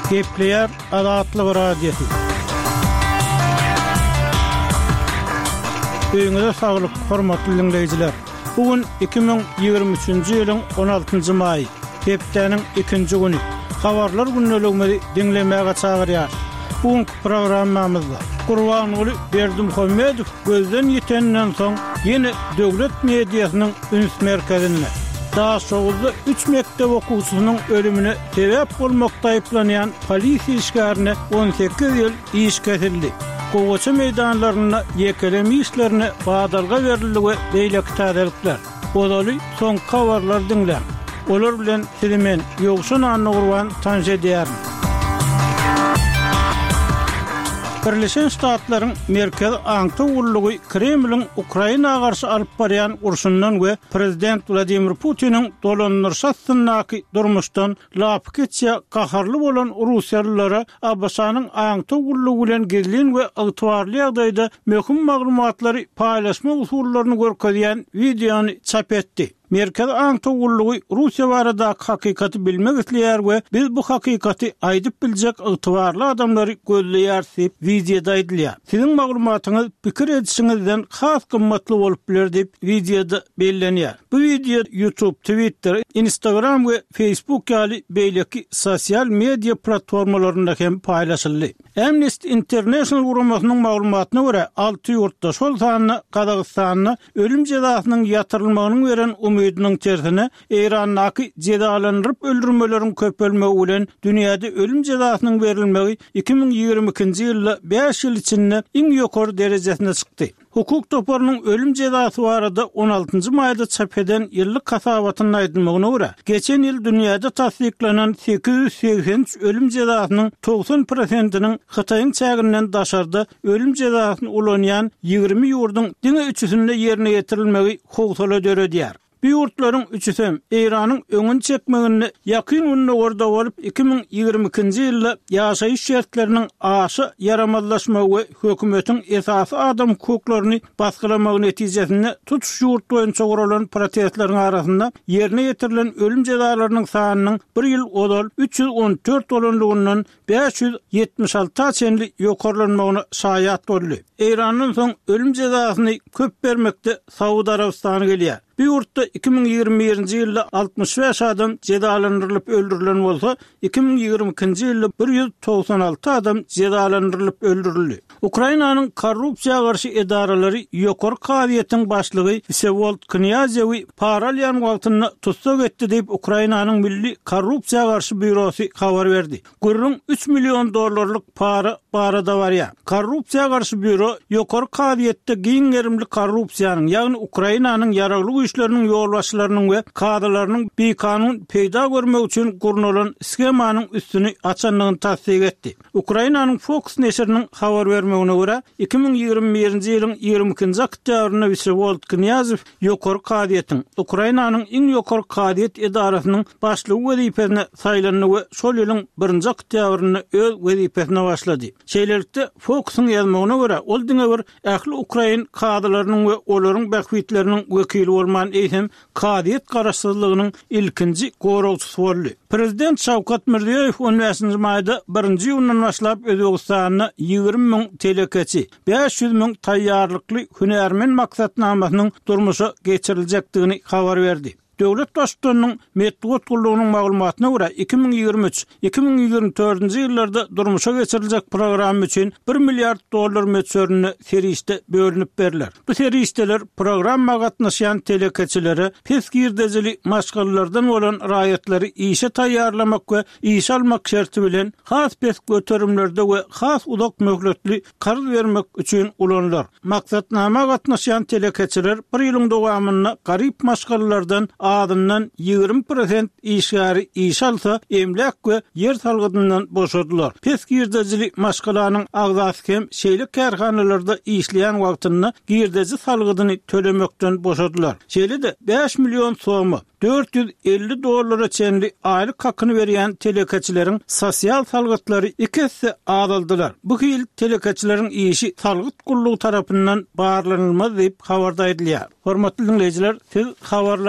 Gepleýär Azatlyk Radiosy. Öýüňize saglyk, hormatly diňleýjiler! Bu gün 2023-nji ýylyň 16-njy maýy, hepdäniň ikinji güni. Habarlar gündeligimizi diňlemäge çagyrýarys. Bu günki programmamyzda Gurbanguly Berdimuhamedow gözden ýiteninden soň ýene döwlet mediasynyň üns merkezinde. Daşoguzda üç mekdep okuwçysynyň ölümine sebäp bolmakda aýyplanýan polisiýa işgärine 18 ýyl iş kesildi. Gowaça meýdanlarynda ýekeleme işlerine badalga berildi we beýleki täzelikler. Ozaly soňky habarlary diňläň. Olar bilen sizi men, Ýowşan Annagurban tanyş edýärin. Birleşen Ştatlaryň Merkezi aňtaw gullugy Kremliň Ukraina garşy alyp barýan urşundan we prezident Wladimir Putiniň dolandyryşy astyndaky durmuşdan lapykeç ýa gaharly bolan russiýalylara ABŞ-nyň aňtaw gullugy bilen gizlin we ygtybarly ýagdaýda möhüm maglumatlary paýlaşmak usullaryny görkezýän wideony çap etdi. Merkezi aňtaw gullugy Russiýa baradaky hakykaty bilmek isleýär we biz bu hakykaty aýdyp biljek ygtybarly adamlary gözleýäris diýip, wideoda aýdylýar. Siziň maglumatyňyz pikir edişiňizden has gymmatly bolup biler diýip, wideoda bellenýär. Bu wideo YouTube, Twitter, Instagram we Facebook ýaly beýleki sosial media platformalarynda hem paýlaşyldy. Amnesty International guramasynyň maglumatyna görä, alty ýurtda, şol sanda Gazagystanda ölüm jezasynyň ýatyrylmagynyň beren umydynyň tersine, Eýrandaky jezalandyryp öldürmeleriň köpelmegi bilen dünýäde ölüm jezasynyň berilmegi 2022-nji ýylda bäş ýyl içinde iň ýokary derejesine çykdy. Hukuk toparynyň ölüm jezasy barada on altynjy maýda çap eden ýyllyk hasabatynda aýdylmagyna görä, geçen ýyl dünýäde tassyklanan 883 ölüm jezasynyň 90 prosentiniň Hytaýyň çäginden daşarda ölüm jezasyny ulanýan 20 ýurduň diňe üçüsinde ýerine ýetirilmegi howsala döredýär. Bu ýurtlaryň üçüsem Eýranyň öňüni çekmeginde Ýakyn Gündogarda bolup, 2022-nji ýylda ýaşaýyş şertleriniň aşa ýaramazlaşmagy we hökümetiň esasy adam hukuklaryny basgylamagy netijesinde tutuş ýurt boýunça guralan protestleriň arasynda ýerine ýetirilen ölüm jezalarynyň sanynyň bir ýyl ozal 314 bolanlygyndan 576-a çenli ýokarlanmagyna şaýat boldy. Eýrandan soň ölüm jezasyny köp bermekde Saud Arabystany gelýär. Bu ýurtda 2021-nji ýylda 65 adam jezalandyrylyp öldürilen bolsa, 2022-nji ýylda 196 adam jezalandyrylyp öldürildi. Ukrainanyň korrupsiýa garşy edaralary Ýokary kazyýetiň başlygy Wsewold Knýazewi para alýan wagtynda tussag etdi diýip, Ukrainanyň Milli korrupsiýa garşy býurosy habar berdi. Gürrüň üç million dollarlyk para barada barýar. Korrupsiýa garşy býuro Ýokary kazyýetde giň gerimli korrupsiýanyň, ýagny Ukrainanyň Ýaragly Güýçleriniň ýolbaşçylarynyň we kazylarynyň bikanun peýda görmek üçin gurnalan shemanyň üstüni açandygyny tassyk etdi. Ukrainanyň Fokus neşiriniň habar bermegine görä, 2021-nji ýylyň 22-nji oktýabrynda Wsewold Knýazew Ýokary kazyýetiň, Ukrainanyň iň ýokary kazyýet edarasynyň başlygy wezipesine saýlandy we şol ýylyň birinji oktýabrynda öz wezipesine başlady. Şeýlelikde, Fokusyň ýazmagyna görä, ol diňe bir ähli ukrain kazylarynyň we olaryň bähbitleriniň wekili bolman, eýsem, kazyýet garaşsyzlygynyň ilkinji goragçysy boldy. Prezident Şawkat Mirziýoýew on bäşinji maýda birinji iýundan başlap Özbegistanda 20 müň telekeçi, 500 müň taýýarlykly hünärmen maksatnamasynyň durmuşa geçiriljekdigini habar berdi. Döwlet Baştutanynyň metbugat gullugynyň maglumatyna görä, 2023, 2024-nji ýyllarda durmuşa geçiriljek programma üçin bir milliard dollar möçberinde serişde bölünip berler. Bu serişdeler programma gatnaşýan telekeçilere pes girdejili maşgalalardan bolan raýatlary işe taýýarlamak we işe almak şerti bilen has pes göterimlerde we has uzak möhletli karz bermek üçin ulanylar. Maksatnama gatnaşýan telekeçiler bir ýylyň dowamynda garyp maşgalalardan azyndan 20 prosent işgäri işe alsa, emläk we ýer salgydyndan boşadylar. Pes girdejili maşgalanyň agzasy hem şeýle kärhanalarda işleýän wagtynda girdeji salgydyny tölemekden boşadylar. Şeýle-de, 5 million soma, 450 dollara çenli aýlyk hakyny berýän telekeçileriň sosial salgytlary iki esse azaldylar. Bu hili telekeçileriň işi salgyt gullugy tarapyndan barlanylmaz diýip, habarda aýdylýar. Hormatly diňleýjiler, siz habarlar.